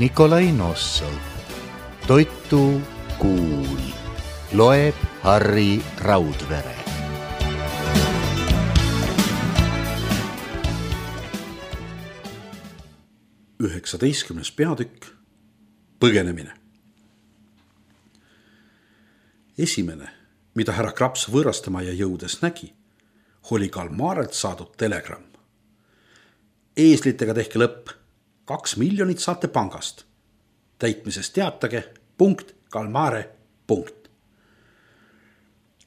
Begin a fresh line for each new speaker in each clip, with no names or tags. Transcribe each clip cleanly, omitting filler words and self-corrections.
Nikolai Nossov. Toitu kuul. Loeb Harri Raudvere.
Üheksateistkümnes peatükk. Põgenemine. Esimene, mida härra Kraps võõrastamaja jõudes nägi, oli Kalmarelt saadud telegramm. Eeslitega tehke lõpp, 2 miljonit saate pangast. Täitmisest teatage, punkt, Kalmare, punkt.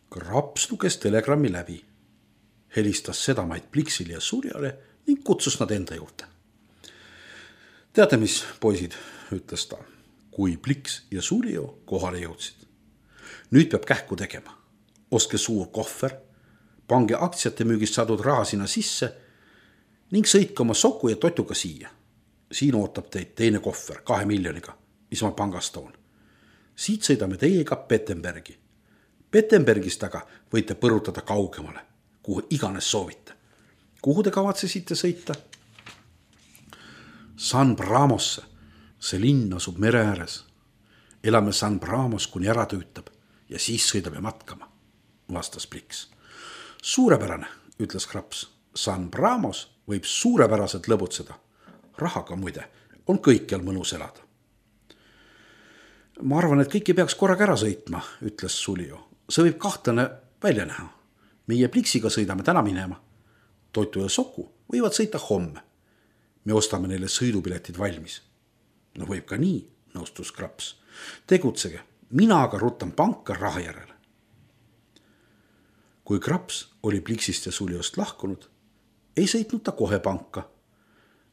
Kraps luges telegrammi läbi, helistas sedamaid Pliksile ja Surjale ning kutsus nad enda juurde. Teate mis, poisid, ütles ta, kui Pliks ja Surjo kohale jõudsid. Nüüd peab kähku tegema. Ostke suur kohver, pange aktsiate müügist saadud raha sinna sisse ning sõitke oma soku ja totuga siia. Siin ootab teid teine kohver 2 miljoniga, mis ma pangast toon. Siit sõidame teiega Pettenbergi. Pettenbergist aga võite põrutada kaugemale, kuhu iganes soovite. Kuhu te kavatsesite sõita? San Bramosse, see linn asub mere ääres. Elame San Bramos, kuni ära tüütab ja siis sõidame matkama, vastas Pliks. Suurepärane, ütles Kraps. San Bramos võib suurepäraselt lõbutseda. Rahaga muide on kõikjal mõnus elada. Ma arvan, et kõiki peaks korraga ära sõitma, ütles Suljo. See võib kahtlane välja näha. Meie Pliksiga sõidame täna minema. Toitu ja soku võivad sõita homme. Me ostame neile sõidupiletid valmis. No võib ka nii, nõustus Kraps. Tegutsege, mina aga rutan panka raha järele. Kui Kraps oli Pliksist ja Suljost lahkunud, ei sõitnud ta kohe panka,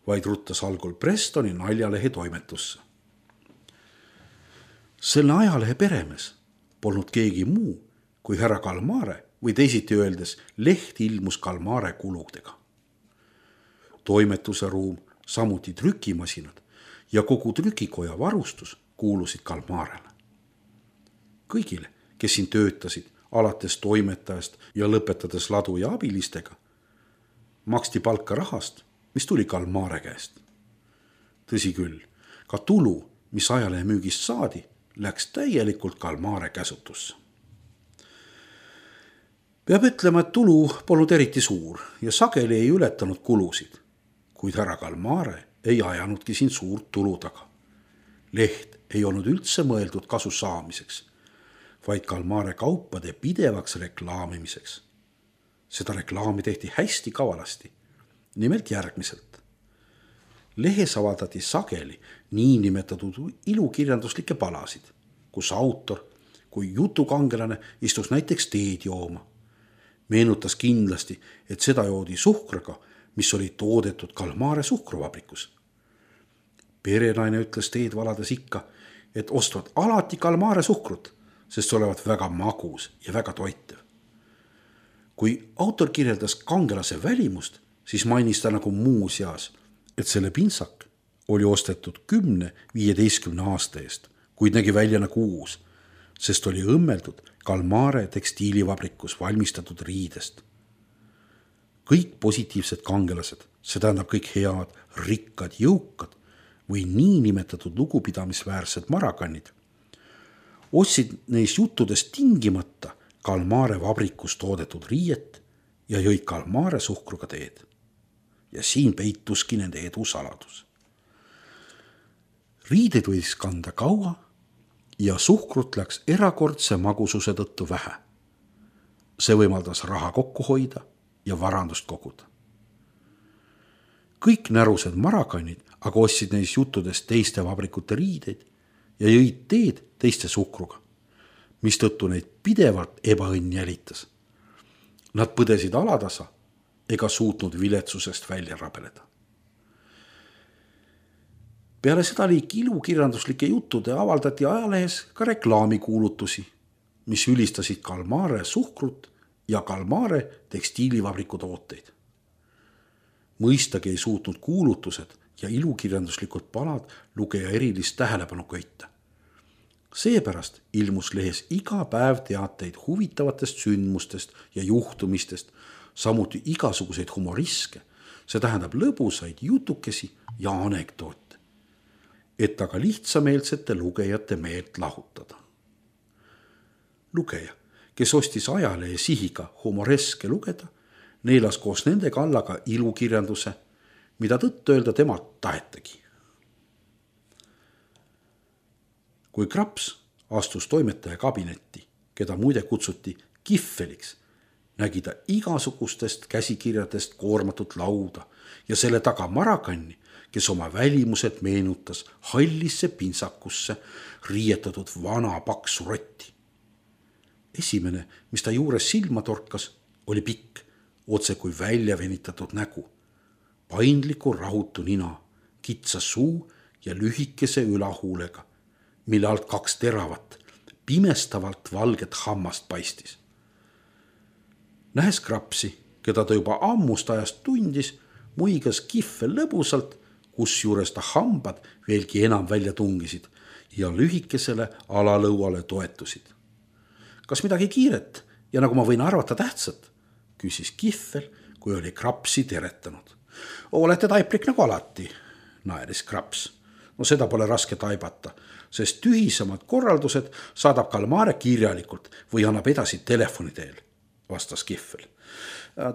vaid ruttas algul Prestoni naljalehe toimetusse. Selle ajalehe peremees polnud keegi muu kui härra Kalmare või teisiti öeldes leht ilmus Kalmare kuludega. Toimetuse ruum, samuti trükimasinad ja kogu trükikoja varustus kuulusid Kalmarele. Kõigile, kes siin töötasid, alates toimetajast ja lõpetades ladu ja abilistega, maksti palka rahast, mis tuli Kalmare käest. Tõsi küll, ka tulu, mis ajalehe müügist saadi, läks täielikult Kalmare käsutusse. Peab ütlema, et tulu polnud eriti suur ja sageli ei ületanud kulusid, kuid härra Kalmare ei ajanudki siin suurt tulu taga. Leht ei olnud üldse mõeldud kasu saamiseks, vaid Kalmare kaupade pidevaks reklaamimiseks. Seda reklaami tehti hästi kavalasti, nimelt järgmiselt. Lehes avaldati sageli niinimetatud ilukirjanduslikke palasid, kus autor kui jutukangelane istus näiteks teed jooma. Meenutas kindlasti, et seda joodi suhkraga, mis oli toodetud Kalmare suhkruvabrikus. Perenaine ütles teed valades ikka, et ostvad alati Kalmare suhkrut, sest olevat väga magus ja väga toitev. Kui autor kirjeldas kangelase välimust, siis mainis ta nagu muu seas, et selle pintsak oli ostetud 10-15 aasta eest, kuid nägi välja nagu uus, sest oli õmmeldud Kalmare tekstiilivabrikus valmistatud riidest. Kõik positiivsed kangelased, see tähendab kõik head, rikkad, jõukad või niinimetatud lugupidamisväärsed marakannid, ostsid neis juttudest tingimata Kalmare vabrikus toodetud riiet ja jõid Kalmare suhkruga teed. Ja siin peituski nende edu saladus. Riided võis kanda kaua ja suhkrut läks erakordse magususe tõttu vähe. See võimaldas raha kokku hoida ja varandust koguda. Kõik närused marakannid aga ostsid neis juttudest teiste vabrikute riideid ja jõid teed teiste suhkruga, mistõttu neid pidevalt ebaõnn jälitas. Nad põdesid alatasa ega suutnud viletsusest välja rabeleda. Peale seda liiki ilukirjanduslike juttude avaldati ajalehes ka reklaamikuulutusi, mis ülistasid Kalmare suhkrut ja Kalmare tekstiilivabriku tooteid. Mõistagi ei suutnud kuulutused ja ilukirjanduslikud palad lugeja erilist tähelepanu köita. Seepärast ilmus lehes iga päev teateid huvitavatest sündmustest ja juhtumistest, samuti igasuguseid humoriske, see tähendab lõbusaid jutukesi ja anekdoote. et aga lihtsameelsete lugejate meelt lahutada. Lugeja, kes ostis ajalehe sihiga humoreske lugeda, neelas koos nende kallaga ilukirjanduse, mida tõtt öelda temalt tahetagi. Kui Kraps astus toimetaja kabinetti, keda muide kutsuti Kihveliks, nägi ta igasugustest käsikirjadest koormatud lauda ja selle taga Marakanni, kes oma välimuselt meenutas hallisse pintsakusse riietatud vana paksu rotti. Esimene, mis ta juures silma torkas, oli pikk, otse kui välja venitatud nägu, paindliku rahutu nina, kitsa suu ja lühikese ülahuulega, mille alt 2 teravat, pimestavalt valget hammast paistis. Nähes Krapsi, keda ta juba ammust ajast tundis, muigas Kihvel lõbusalt, kusjuures ta hambad veelgi enam välja tungisid ja lühikesele alalõuale toetusid. Kas midagi kiiret ja nagu ma võin arvata tähtsat, küsis Kihvel, kui oli Krapsi teretanud. Olete taiplik nagu alati, naeris Kraps. No seda pole raske taibata, sest tühisemad korraldused saadab Kalmare kirjalikult või annab edasi telefoni teel, vastas Kihvel.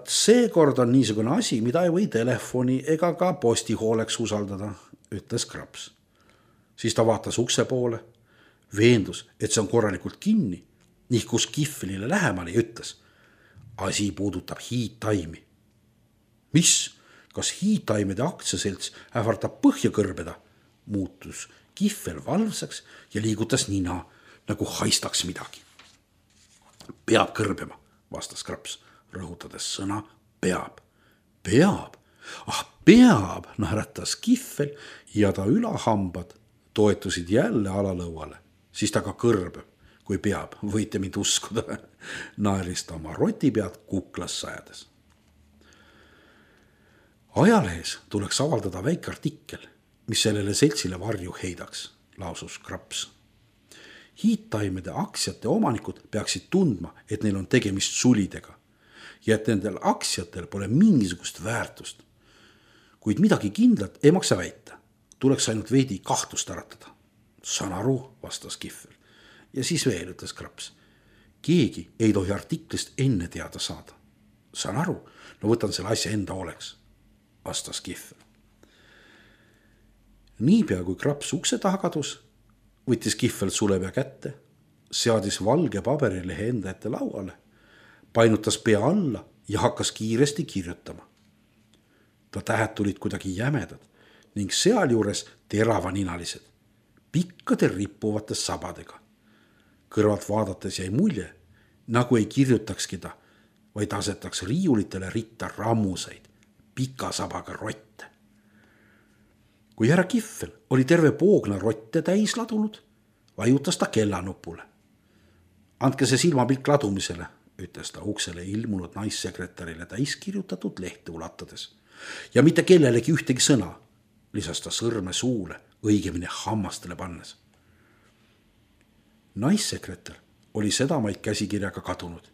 Seekord on niisugune asi, mida ei või telefoni ega ka postihooleks usaldada, ütles Kraps. Siis ta vaatas ukse poole, veendus, et see on korralikult kinni, nihkus Kihvelile lähemale ja ütles, asi puudutab hiidtaimi. Mis? Kas hiidtaimede aktsiaselts ähvardab põhja kõrbeda? Muutus Kihvel valvsaks ja liigutas nina, nagu haistaks midagi. Peab kõrbema, vastas Kraps, rõhutades sõna peab. Peab? Peab, naeratas Kihvel ja ta ülahambad toetusid jälle alalõuale. Siis ta ka kõrbeb, kui peab, võite mind uskuda, naeris ta oma rotipead kuklas sajades. Ajalehes tuleks avaldada väike artikkel, mis sellele seltsile varju heidaks, lausus Kraps. Hiidtaimede aktsiate omanikud peaksid tundma, et neil on tegemist sulidega ja et nendel aktsiatel pole mingisugust väärtust. Kuid midagi kindlat ei maksa väita, tuleks ainult veidi kahtlust äratada. Saan aru, vastas Kihvel. Ja siis veel, ütles Kraps. Keegi ei tohi artiklist enne teada saada. Saan aru, no võtan selle asja enda oleks, vastas Kihvel. Niipea kui Kraps ukse taha kadus, võttis Kihvel sulepea kätte, seadis valge paberilehe enda ette lauale, painutas pea alla ja hakkas kiiresti kirjutama. Ta tähed tulid kuidagi jämedad ning sealjuures teravaninalised, pikkade rippuvates sabadega. Kõrvalt vaadates jäi mulje, nagu ei kirjutakski ta, vaid asetaks riiulitele ritta rammuseid, pika sabaga rotte. Kui härra Kihvel oli terve poogna rotte täis ladunud, vajutas ta kellanupule. Andke see silmapilk ladumisele, ütles ta uksele ilmunud naissekretärile täis kirjutatud lehte ulatades. Ja mitte kellelegi ühtegi sõna, lisas ta sõrme suule, õigemini hammastele pannes. Naissekretär oli sedamaid käsikirjaga kadunud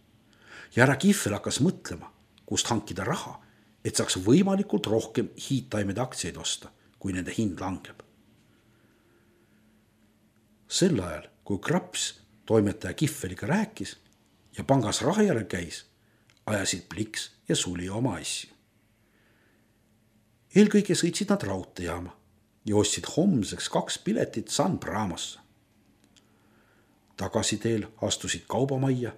ja härra Kihvel hakkas mõtlema, kust hankida raha, et saaks võimalikult rohkem hiidtaimede aktsiaid osta, kui nende hind langeb. Sel ajal, kui Kraps toimetaja Kihveliga rääkis ja pangas raha järel käis, ajasid Pliks ja Suli oma asju. Eelkõige sõitsid nad raudteejaama ja ostsid homseks 2 piletit San Bramosse. Tagasiteel astusid kaubamajja,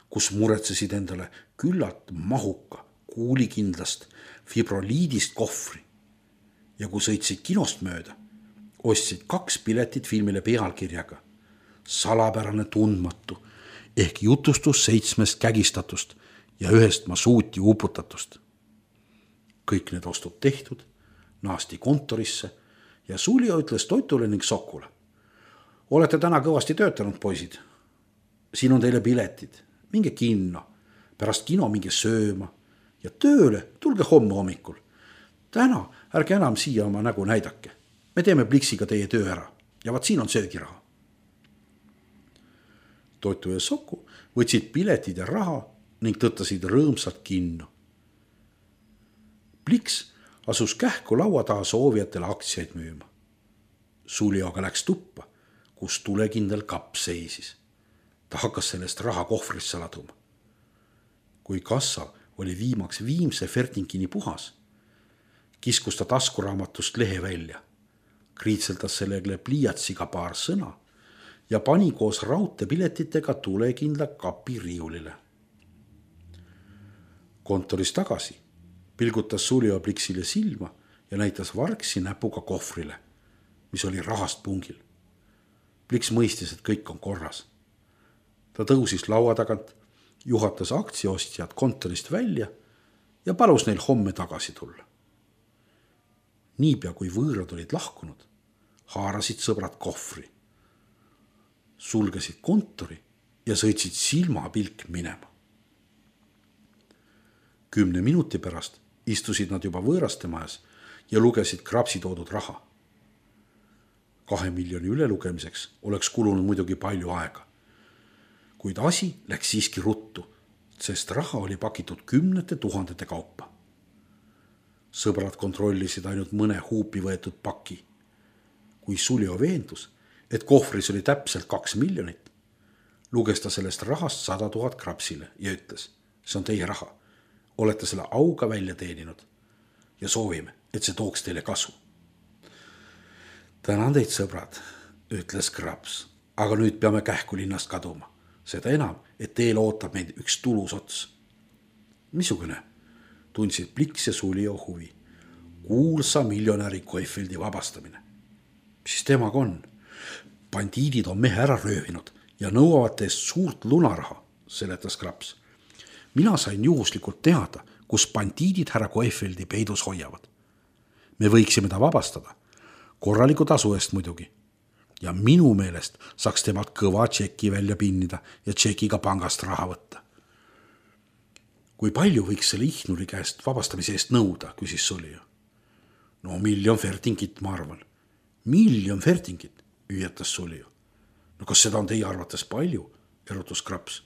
kus muretsesid endale küllalt mahuka, kuulikindlast, fibroliidist kohvri. Ja kui sõitsid kinost mööda, ostsid 2 piletit filmile pealkirjaga Salapärane tundmatu ehk jutustus 7 kägistatust ja 1 masuuti uputatust. Kõik need ostud tehtud, naasti kontorisse ja Sulja ütles Toitule ning Sokule. Olete täna kõvasti töötanud, poisid. Siin on teile piletid, minge kinno, pärast kino minge sööma ja tööle tulge homme hommikul. Täna ärge enam siia oma nägu näidake. Me teeme Pliksiga teie töö ära ja vaat siin on söögiraha. Toitu ja Soku võtsid piletid ja raha ning tõttasid rõõmsalt kinno. Pliks asus kähku laua taha soovijatele aktsiaid müüma. Suljo aga läks tuppa, kus tulekindel kapp seisis. Ta hakkas sellest raha kohvrisse laduma. Kui kassa oli viimaks viimse fertinkini puhas, kiskus ta taskuraamatust lehe välja, kriitseldas sellele pliiatsiga paar sõna ja pani koos raudteepiletitega tulekindla kapi riiulile. Kontoris tagasi pilgutas Suljo Pliksile silma ja näitas vargsi näpuga kohvrile, mis oli rahast pungil. Pliks mõistis, et kõik on korras. Ta tõusis laua tagant, juhatas aktsiaostjad kontorist välja ja palus neil homme tagasi tulla. Niipea kui võõrad olid lahkunud, haarasid sõbrad kohvri, sulgesid kontori ja sõitsid silmapilk minema. 10 minuti pärast istusid nad juba võõraste majas ja lugesid Krapsi toodud raha. 2 miljoni ülelugemiseks oleks kulunud muidugi palju aega. Kuid asi läks siiski ruttu, sest raha oli pakitud 10 000 kaupa. Sõbrad kontrollisid ainult mõne huupi võetud paki. Kui Suljo veendus, et kohvris oli täpselt 2 miljonit, luges ta sellest rahast 100 000 Krapsile ja ütles, see on teie raha. Olete selle auga välja teeninud ja soovime, et see tooks teile kasu. Tänan teid, sõbrad, ütles Kraps, aga nüüd peame kähku linnast kaduma. Seda enam, et teel ootab meid üks tulus ots. Missugune? Tundsid Pliks ja Suljo huvi. Kuulsa miljonäri Koifeldi vabastamine. Mis temaga on? Bandiidid on mehe ära röövinud ja nõuavad teist suurt lunaraha, seletas Kraps. Mina sain juhuslikult teada, kus bandiidid härra Koifeldi peidus hoiavad. Me võiksime ta vabastada. Korraliku tasu eest muidugi. Ja minu meelest saaks temalt kõva tšeki välja pinnida ja tšekiga pangast raha võtta. Kui palju võiks selle ihnuri käest vabastamise eest nõuda, küsis Suljo. No 1 miljon fertingit, ma arvan. 1 miljon fertingit, hüüatas Suljo. No kas seda on teie arvates palju, erutus Kraps?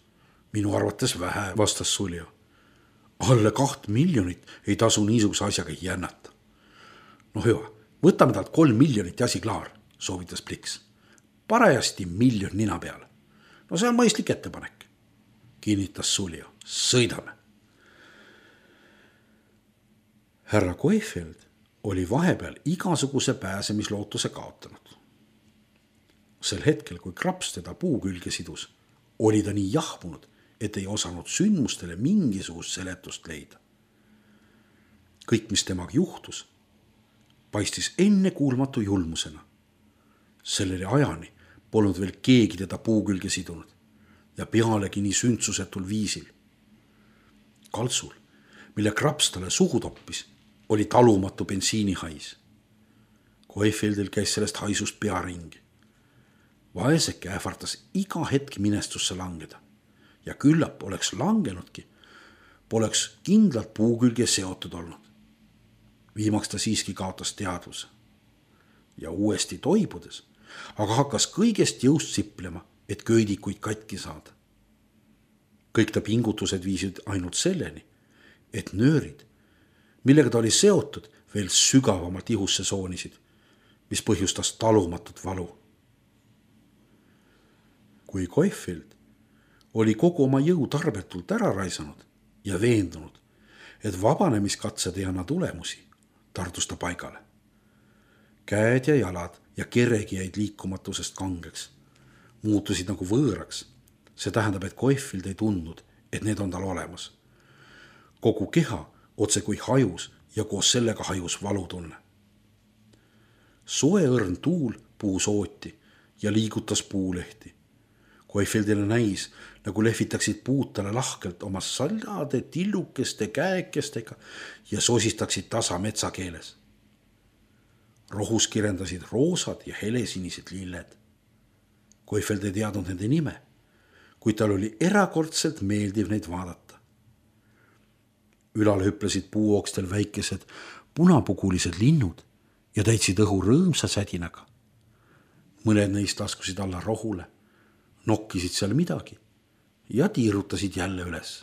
Minu arvates vähe, vastas Suljo. Alle 2 miljonit ei tasu niisuguse asjaga jännata. No hüva, võtame talt 3 miljonit ja asi klaar, soovitas Pliks. Parajasti 1 miljon nina peale. No see on mõistlik ettepanek, kinnitas Suljo. Sõidame. Härra Koifeld oli vahepeal igasuguse pääsemislootuse kaotanud. Sel hetkel, kui Kraps teda puu külge sidus, oli ta nii jahmunud, et ei osanud sündmustele mingisugust seletust leida. Kõik, mis temaga juhtus, paistis ennekuulmatu julmusena. Sellele ajani polnud veel keegi teda puu külge sidunud ja pealegi nii sündsusetul viisil. Kaltsul, mille Kraps talle suhu toppis, oli talumatu bensiinihais. Koifeldil käis sellest haisust pea ringi. Vaeseke ähvartas iga hetk minestusse langeda ja küllap oleks langenudki, poleks kindlalt puu külge seotud olnud. Viimaks ta siiski kaotas teadvuse ja uuesti toibudes, aga hakkas kõigest jõust siplema, et köidikuid katki saada. Kõik ta pingutused viisid ainult selleni, et nöörid, millega ta oli seotud, veel sügavamalt ihusse soonisid, mis põhjustas talumatut valu. Kui Koifeld oli kogu oma jõu tarbetult ära raisanud ja veendunud, et vabanemiskatsed ei anna tulemusi, tardus ta paigale. Käed ja jalad ja keregi jäid liikumatusest kangeks, muutusid nagu võõraks. See tähendab, et Koifeld ei tundnud, et need on tal olemas. Kogu keha otse kui hajus ja koos sellega hajus valutunne. Soe õrn tuul puus ooti ja liigutas puulehti. Koifeldile näis, nagu lehvitaksid puud talle lahkelt oma sallade tillukeste käekestega ja sosistaksid tasa metsakeeles. Rohus kirendasid roosad ja helesinised lilled. Koifeld ei teadnud nende nime, kuid tal oli erakordselt meeldiv neid vaadata. Ülal hüplesid puuokstel väikesed punapugulised linnud ja täitsid õhu rõõmsa sädinaga. Mõned neist laskusid alla rohule, nokkisid seal midagi ja tiirutasid jälle üles.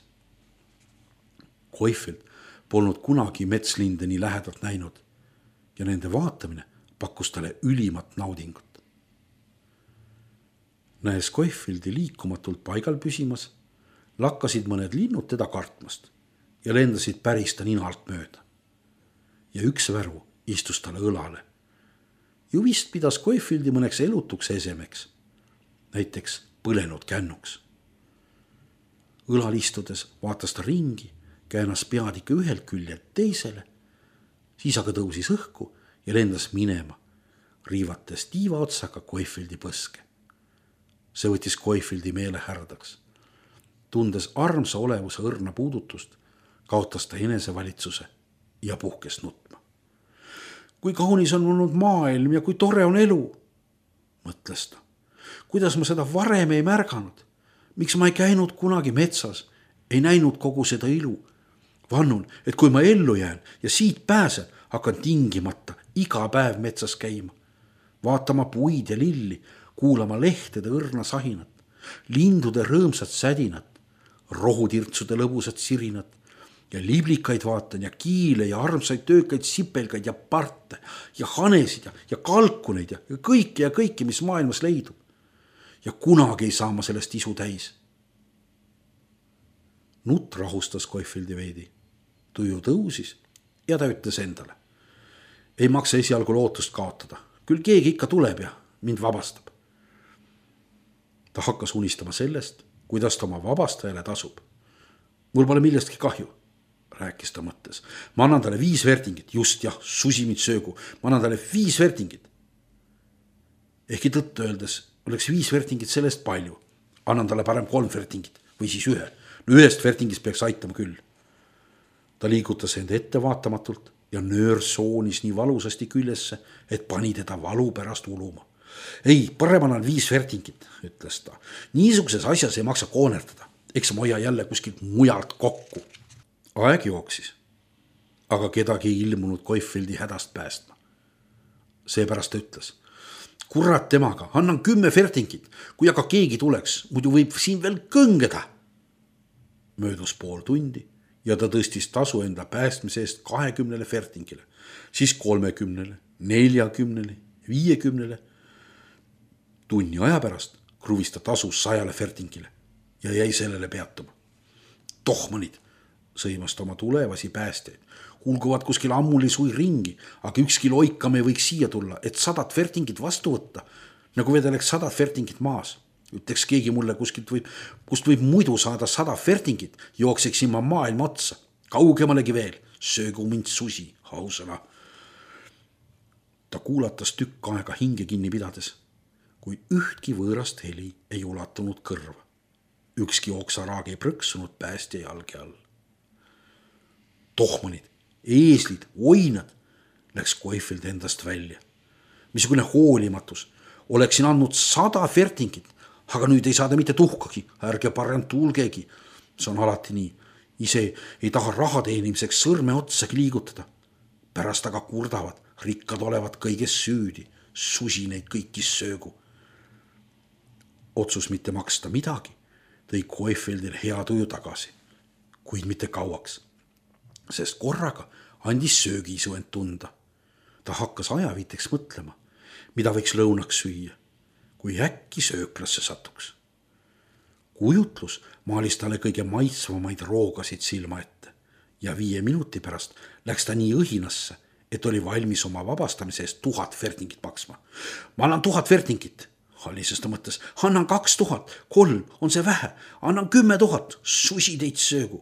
Koifeld polnud kunagi metslinde nii lähedalt näinud ja nende vaatamine pakkus talle ülimat naudingut. Näes Scofieldi liikumatult paigal püsimas, lakkasid mõned linnud teda kartmast ja lendasid päris ta ninalt mööda. Ja üks värvu istus talle õlale. Ju vist pidas Scofieldi mõneks elutuks esemeks, näiteks põlenud kännuks. Õlal istudes vaatas ta ringi, käänas pead ikka ühelt küljelt teisele, siis aga tõusis õhku ja lendas minema, riivates tiiva otsaga Scofieldi põske. See võttis Scofieldi meele härdaks. Tundes armsa olevuse õrna puudutust, kaotas ta enesevalitsuse ja puhkes nutma. Kui kaunis on olnud maailm ja kui tore on elu, mõtles ta. Kuidas ma seda varem ei märganud? Miks ma ei käinud kunagi metsas, ei näinud kogu seda ilu? Vannun, et kui ma ellu jään ja siit pääsen, hakkan tingimata iga päev metsas käima. Vaatama puid ja lilli, kuulama lehtede õrna sahinat, lindude rõõmsat sädinat, rohutirtsude lõbusat sirinat ja liblikaid vaatan ja kiile ja armsaid töökaid sipelgaid ja parte ja hanesid ja kalkuneid ja kõike, mis maailmas leidub. Ja kunagi ei saa ma sellest isu täis. Nutt rahustas Scofieldi veidi. Tuju tõusis ja ta ütles endale. Ei maksa esialgu lootust kaotada. Küll keegi ikka tuleb ja mind vabastab. Ta hakkas unistama sellest, kuidas ta oma vabastajale tasub. Mul pole millestki kahju, rääkis ta mõttes. Ma annan talle 5 vertingit, just jah, susi mind söögu. Ma annan talle 5 vertingit. Ehkki tõtt öeldes oleks 5 vertingit sellest palju. Annan talle parem 3 vertingit või siis 1. No 1 vertingist peaks aitama küll. Ta liigutas enda ettevaatamatult ja nöör soonis nii valusasti küljesse, et pani teda valu pärast uluma. Ei, parem annan 5 vertingit, ütles ta. Niisuguses asjas ei maksa koonerdada. Eks ma hoia jälle kuskilt mujalt kokku. Aeg jooksis, aga kedagi ei ilmunud Scofieldi hädast päästma. Seepärast ta ütles. Kurat temaga, annan 10 vertingit, kui aga keegi tuleks, muidu võib siin veel kõngeda. Möödus pool tundi ja ta tõstis tasu enda päästmise eest 20 vertingile, siis 30, 40, 50. Tunni aja pärast kruvis ta tasu 100 vertingile ja jäi sellele peatuma. Tohmanid, sõimas ta oma tulevasi päästjaid. Hulguvad kuskil ammuli sui ringi, aga ükski loikam ei võiks siia tulla, et 100 vertingit vastu võtta, nagu vedeleks 100 vertingit maas. Ütleks keegi mulle kust võib muidu saada 100 vertingit, jookseksin ma maailma otsa. Kaugemalegi veel, söögu mind susi, hausana. Ta kuulatas tükk aega hinge kinni pidades, kui ühtki võõrast heli ei ulatunud kõrva. Ükski oksaraag ei prõksunud päästja jalge all. Tohmanid, eeslid, oinad, läks Scofield endast välja. Missugune hoolimatus, oleksin andnud 100 vertingit, aga nüüd ei saada mitte tuhkagi, ärge parem tulgegi. See on alati nii. Ise ei taha raha teenimiseks sõrme otsagi liigutada. Pärast aga kurdavad, rikkad olevat kõiges süüdi, susi neid kõiki söögu. Otsus mitte maksta midagi tõi Scofieldir hea tuju tagasi, kuid mitte kauaks, sest korraga andis söögiisu end tunda. Ta hakkas ajaviiteks mõtlema, mida võiks lõunaks süüa, kui äkki sööklasse satuks. Kujutlus maalis talle kõige maitsvamaid roogasid silma ette ja 5 minuti pärast läks ta nii õhinasse, et oli valmis oma vabastamise eest 1000 vertingit maksma. Ma annan 1000 vertingit, hallises ta mõttes. Annan 2000, 3, on see vähe, annan 10 000, susi teid söögu.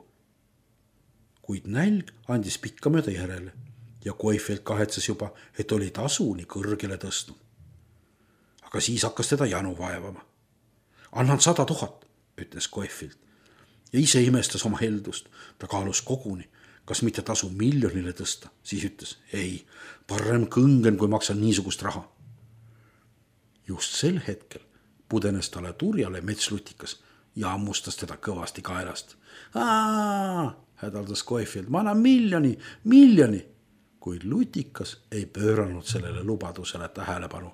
Kuid nälg andis pikka mööda järele ja Scofield kahetses juba, et oli tasu nii kõrgele tõstnud. Aga siis hakkas teda janu vaevama. Annan 100 000, ütles Scofield ja ise imestas oma heldust. Ta kaalus koguni, kas mitte tasu miljonile tõsta. Siis ütles, ei, parem kõngen, kui maksan niisugust raha. Just sel hetkel pudenes talle turjale metslutikas ja ammustas teda kõvasti kaelast. Hädaldas Scofield, ma annan miljoni. Kuid lutikas ei pööranud sellele lubadusele tähelepanu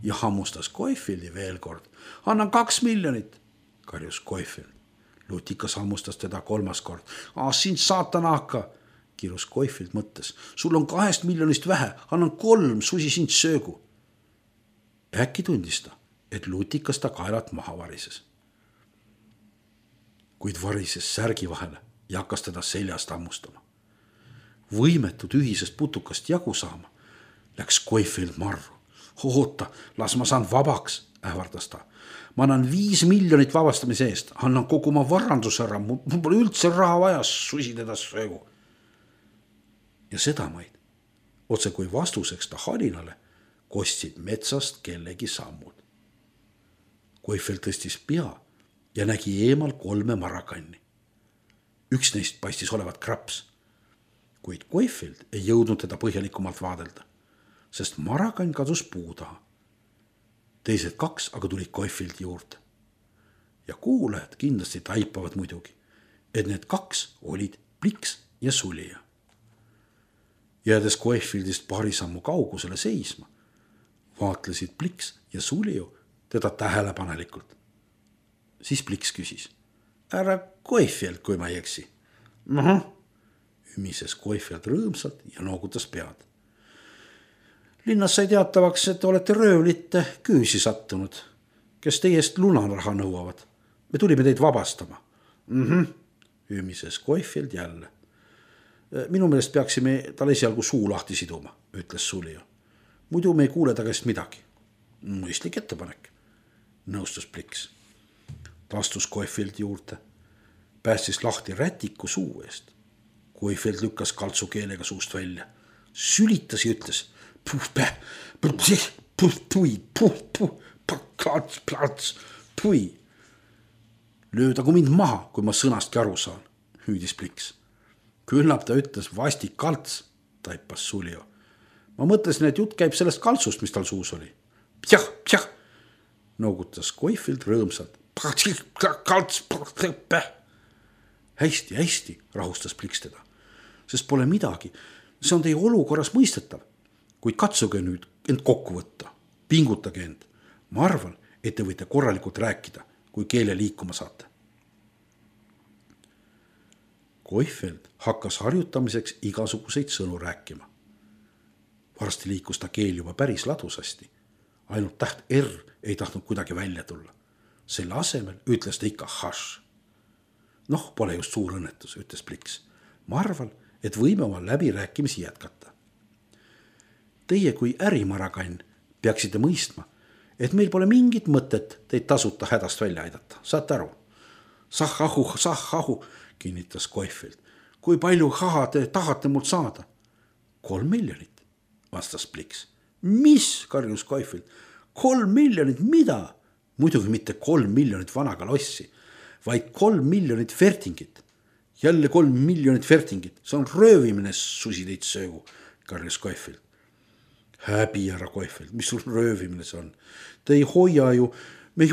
ja hammustas Scofieldi veel kord. Annan 2 miljonit, karjus Scofield. Lutikas hammustas teda 3. kord. Sind saatanahka, kirus Koifild mõttes. Sul on 2 miljonist vähe, annan 3, susi sind söögu. Äkki tundis ta, et lutikas ta kaelat maha varises. Kuid varises särgi vahele ja hakkas teda seljast hammustama. Võimetud ühisest putukast jagu saama, läks Koifild marru. Oota, las ma saan vabaks, ähvardas ta. Ma annan 5 miljonit vabastamise eest, annan kogu oma varandus ära, mul pole üldse raha vaja, susi teda söögu. Ja sedamaid, otse kui vastuseks ta halinale, kostsid metsast kellegi sammud. Koifild tõstis pea ja nägi eemal 3 marakanni. Üks neist paistis olevat kraps, kuid Koifild ei jõudnud teda põhjalikumalt vaadelda, sest marakann kadus puu taha. Teised 2 aga tulid Koifildi juurde. Ja kuulajad kindlasti taipavad muidugi, et need 2 olid Pliks ja Sulija. Jäädes Koifildist paari sammu kaugusele seisma, vaatlesid Pliks ja Suliju teda tähelepanelikult. Siis Pliks küsis, ära Koifild, kui ma ei eksi. Ümises Koifild rõõmsalt ja noogutas pead. Linnas sai teatavaks, et olete röövlite küüsi sattunud, kes teiest lunaraha nõuavad. Me tulime teid vabastama. Ümises Koifild jälle. Minu meelest peaksime tal esialgu suu lahti siduma, ütles Sulija. Muidu me ei kuule ta käest midagi. Mõistlik ettepanek, nõustus Pliks. Ta astus Koifildi juurde, päästis lahti rätiku suu eest. Koifild lükkas kaltsu keelega suust välja, sülitas ja ütles pui. Löödagu mind maha, kui ma sõnastki aru saan, hüüdis Pliks. Küllap ta ütles vastik kalts, taipas Sulija. Ma mõtlesin, et jutt käib sellest kaltsust, mis tal suus oli. Pjah, noogutas Koifild rõõmsalt. Hästi, rahustas Pliks teda, sest pole midagi. See on teie olukorras mõistetav, kuid katsuge nüüd end kokku võtta. Pingutage end. Ma arvan, et te võite korralikult rääkida, kui keele liikuma saate. Koifild hakkas harjutamiseks igasuguseid sõnu rääkima. Varsti liikus ta keel juba päris ladusasti. Ainult täht R ei tahtnud kuidagi välja tulla. Selle asemel ütles ta ikka hash. Pole just suur õnnetus, ütles Pliks. Ma arvan, et võime oma läbirääkimisi jätkata. Teie kui ärimarakann peaksite mõistma, et meil pole mingit mõtet teid tasuta hädast välja aidata. Saate aru? Sahhahu, kinnitas Koifild. Kui palju haha te tahate mult saada? 3 miljonit, vastas Pliks. Mis, karjus Koifild? 3 miljonit mida? Muidugi mitte 3 miljonit vanaga lossi, vaid 3 miljonit fertingit. Jälle 3 miljonit fertingit. See on röövimine, susi teid söögu, karjus Koifild. Häbi, härra Koifild, mis sul röövimine see on? Me ei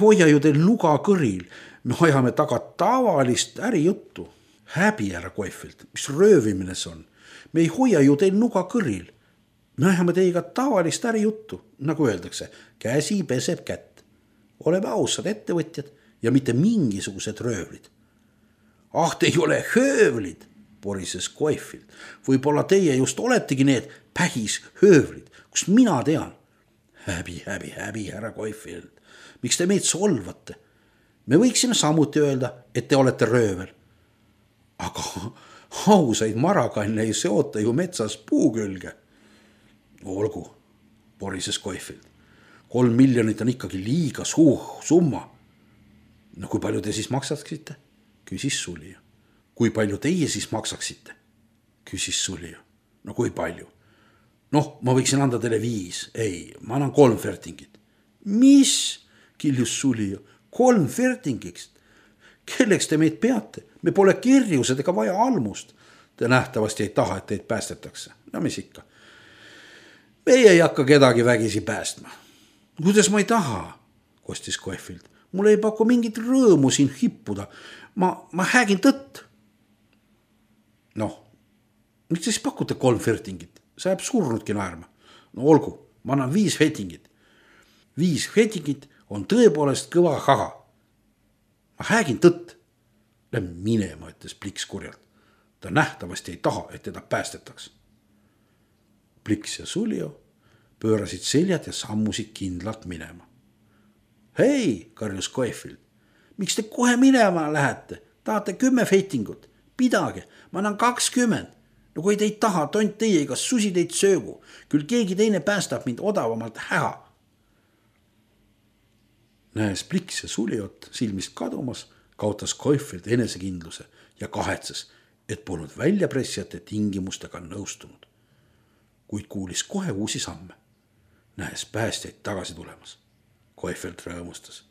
hoia ju teil nuga kõril. Me ajame taga tavalist ärijuttu. Häbi, härra Koifild, mis röövimine see on? Me ei hoia ju teil nuga kõril. Me ajame teiega tavalist ärijuttu, nagu öeldakse, käsi peseb kätt. Oleme ausad ettevõtjad ja mitte mingisugused röövlid. Te ei ole höövlid, porises Koifild. Võib-olla teie just oletegi need pähis höövlid, kus mina tean. Häbi, härra Koifild. Miks te meid solvate? Me võiksime samuti öelda, et te olete röövel. Aga ausaid marakanne ei seota ju metsas puu külge. Olgu, porises Koifild. 3 miljonit on ikkagi liiga summa. Kui palju te siis maksaksite? Küsis Sulija. Kui palju teie siis maksaksite? Küsis Sulija. Kui palju? Ma võiksin anda teile 5. Ei, ma annan 3 fertingit. Mis? Kiljus Sulija. 3 fertingist? Kelleks te meid peate? Me pole kirjused ega vaja almust. Te nähtavasti ei taha, et teid päästetakse. Mis ikka? Meie ei hakka kedagi vägisi päästma. Kuidas ma ei taha, kostis Koifild. Mul ei paku mingit rõõmu siin hippuda. Ma häägin tõtt. Miks te siis pakute 3 fertingit? See jääb surnudki naerma. Olgu, ma annan 5 fertingit. 5 fertingit on tõepoolest kõva haha. Ma häägin tõtt. Lähme minema, ütles Pliks kurjalt. ta nähtavasti ei taha, et teda päästetaks. Pliks ja Suljo pöörasid seljad ja sammusid kindlalt minema. Hei, karjus Koefild, miks te kohe minema lähete? Tahate 10 feitingut? Pidage, ma annan 20. No kui te ei taha, tont teie, kas susi teid söögu. Küll keegi teine päästab mind odavamalt häha. Näes Pliks ja Suljot silmist kadumas, kaotas Koefild enesekindluse ja kahetses, et polnud väljapressijate tingimustega nõustunud. Kuid kuulis kohe uusi samme. Näes päästjaid tagasi tulemas. Koefild rõõmustas.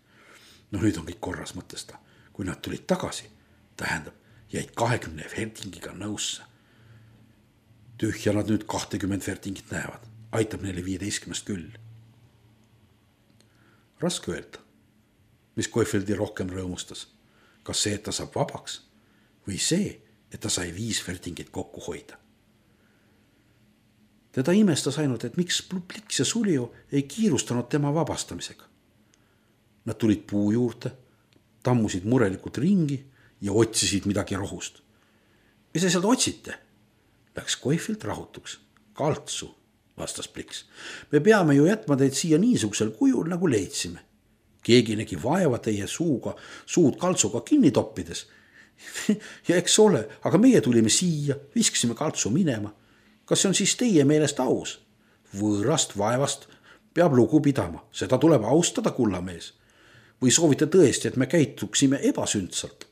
No nüüd on kõik korras, mõtles ta. Kui nad tulid tagasi, tähendab, jäid 20 fertingiga nõusse. Tühja nad nüüd 20 fertingit näevad. Aitab neile 15 küll. Raske öelda, mis Koefildi rohkem rõõmustas. Kas see, et ta saab vabaks või see, et ta sai 5 fertingit kokku hoida. Teda imestas ainult, et miks Pliks ja Suljo ei kiirustanud tema vabastamisega. Nad tulid puu juurde, tammusid murelikult ringi ja otsisid midagi rohust. Mis te sealt otsite? Läks Koefild rahutuks. Kaltsu, vastas Pliks. Me peame ju jätma teid siia niisugusel kujul, nagu leidsime. Keegi nägi vaeva teie suud kaltsuga kinni toppides. Ja eks ole, aga meie tulime siia, viskasime kaltsu minema. Kas see on siis teie meelest aus? Võõrast vaevast peab lugu pidama, seda tuleb austada, kullamees. Või soovite tõesti, et me käituksime ebasündsalt?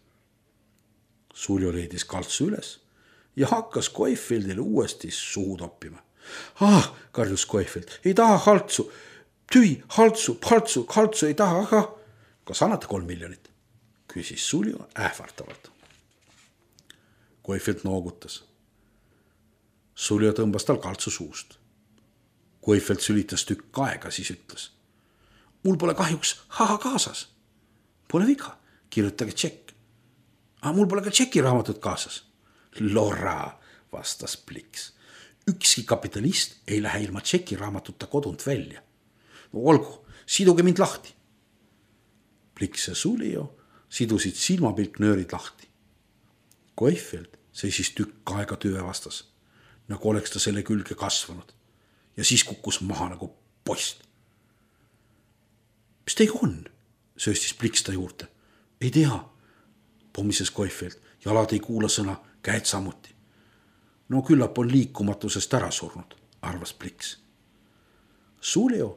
Suljo leidis kaltsu üles ja hakkas Koefildile uuesti suhu toppima. Karjus Koefild, ei taha kaltsu. Tüi, kaltsu ei taha, aga kas annate 3 miljonit? Küsis Suljo ähvartavalt. Koefild noogutas. Suljo tõmbas tal kaltsu suust. Koefild sülitas tükk aega, siis ütles. Mul pole kahjuks kaasas. Pole viga, kirjutage tšekk. Mul pole ka tšekiraamatut kaasas. Lora, vastas Pliks. Ükski kapitalist ei lähe ilma tšekiraamatuta kodunt välja. No olgu, siduge mind lahti. Pliks ja Suljo sidusid silmapilknöörid lahti. Koefild seisis tükk aega tüve vastas, nagu oleks ta selle külge kasvanud ja siis kukkus maha nagu post. Mis teiga on? Sööstis Pliks ta juurde. Ei tea, pommises Koefild, jalad ei kuula sõna, käed samuti. No küllap on liikumatusest ära surnud, arvas Pliks. Suljo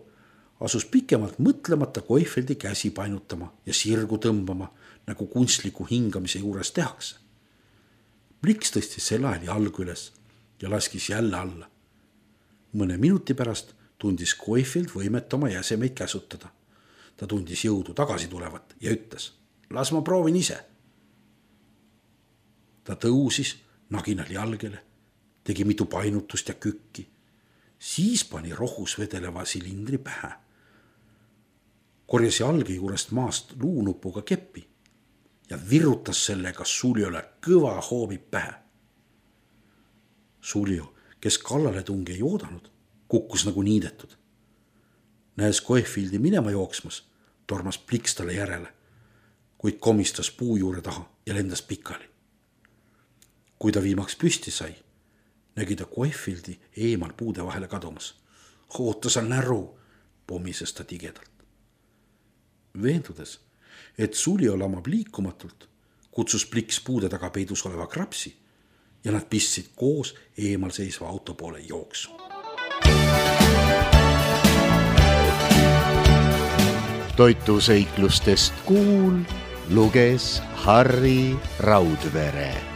asus pikemalt mõtlemata Koefildi käsi painutama ja sirgu tõmbama, nagu kunstliku hingamise juures tehakse. Pliks tõstis sel ajal jalgu üles ja laskis jälle alla. Mõne minuti pärast tundis Koefild võimet oma jäsemeid käsutada. Ta tundis jõudu tagasi tulevat ja ütles, las ma proovin ise. Ta tõusis naginal jalgele, tegi mitu painutust ja kükki. Siis pani rohus vedeleva silindri pähe. Korjas jalge juurest maast luunupuga keppi ja virutas sellega Suljole kõva hoobi pähe. Suljo, kes kallale tungi ei oodanud, kukkus nagu niidetud. Näes Koefildi minema jooksmas, tormas Pliks talle järele, kuid komistas puu juure taha ja lendas pikali. Kui ta viimaks püsti sai, nägi ta Koefildi eemal puude vahele kadumas. Oota sa näru, pommises ta tigedalt. Veendudes, et Suljo lamab liikumatult, kutsus Pliks puude taga peidus oleva krapsi ja nad pistsid koos eemal seisva auto poole jooksu.
Toituseiklustest kuul luges Harri Raudvere.